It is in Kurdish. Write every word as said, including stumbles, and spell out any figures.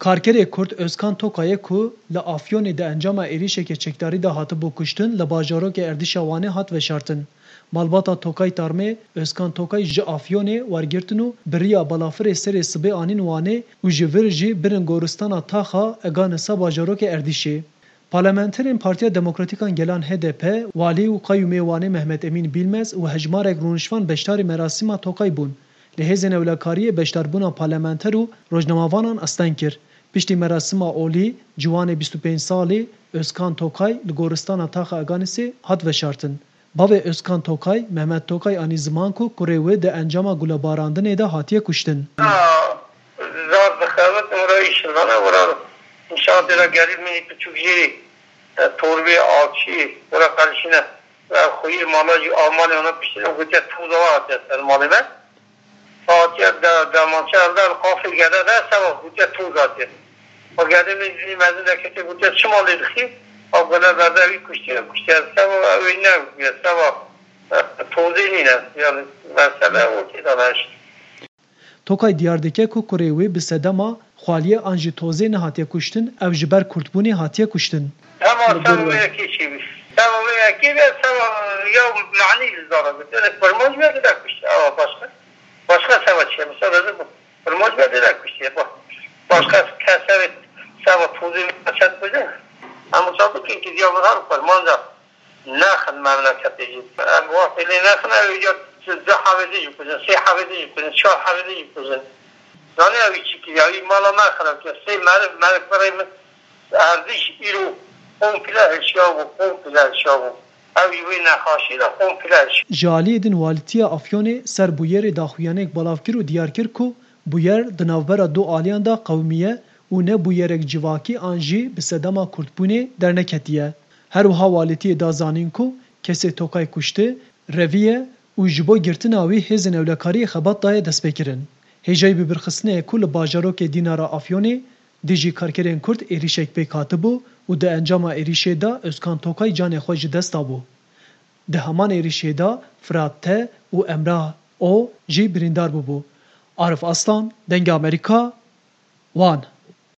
Karkerê Kurd Özkan Tokayê ku li Afyonê di encama êrîşeke çekdarî de hatibû kuştin, li bajarokê erdîşa Wanê hat veşartin. Malbata Tokay Tarmê, Özkan Tokay ji Afyonê wergirtin û bi riya balafirê serê sibê anîn Wanê û ji vir jî birin goristana Taxa Eganisa bajarokê erdîşê. Parlamenterên Partiya Demokratîk a Gelan H D P, walî û qeyûmê Wanê Mehmet Emîn Bîlmez û hejmarek rûniştvan beşdarî merasîma Tokay bûn. Li hêzên ewlekariyê beşdarbûna parlamenter û rojnamevanan asteng kir. Piştî merasîma olî, ciwanê bîst û pênc salî Özkan Tokay li goristana Taxa Eganisê hat veşartin. Bavê Özkan Tokay, Mehmet Tokay anî ziman ku kurê wê di encama gulebarandinê de hatiye kuştin. Zar dixebit, wira îşindane, wira nîşan tê de gerî minî piçûk jî, e, torbê alçî, wira qelişîne. Ve xuyê mala jî Almanya ona piştî gotiye toza hatiye ser malê me. Hatiye de, demançe elde li qafê gede de seba gotiye toz hatiye. O gede min jî mezin de kete gotiye çima lê dixî? O gule berde wî kuştiye, kuştiye seba wê ne gotiye seba, e, tozê nîne. Yani mesele o tê de ne işte. Tokay diyar dike ku kurê wê bi sedema xwaliyê an jî tozê nehatiye kuştin, ew ji ber kurdbûnê hatiye kuştin. Hema Li gor seba we. Wê yekê çêbî. Seba wê yekê be seba ya manî li zara gotiye. Kurmanc be dide kuşt. Ewa başka. Başka seba çi ye? Mesela dedim, kurmanc be dide kuşt ye. Ba-, başka kes evet seba tozê çet kuşt. Ama sabit ki diya bu her kurmanca. Nexin memleketê jî. Em wextê lê nexin, ew ya du hevêdê jî kujin, sê hevêdê jî kujin, çar hevêdê jî kujin. Zanî ew çi kiriya? Wî mala me xirab kir. Sê meriv, meriv kurê min erdîş îro komple hişya bû, komple hişya bû. Ew jî wê nexaşî de komple hişya. Ji aliyê din Walîtiya Afyonê ser bûyerê daxuyaniyek belav kir û diyar kir ku bûyer di navbera du aliyan de qewimiye û ne bûyerek civakî an jî bi sedema kurdbûnê derneketiye. Her wiha walîtiyê da zanîn ku kesê Tokay kuştî, reviye û ji bo girtina wî hêzên ewlekariyê xebat daye destpêkirin. Hêjayî bibirxistinê ye ku li bajarokê Dînara Afyonê dijî karkerên Kurd êrîşek pêk hatibû û di encama êrîşê de Özkan Tokay canê xwe ji dest dabû. Di heman êrîşê de Firat T û Emrah O jî birîndar bûbû. Arif Aslan, Dengê Amerîka, Wan.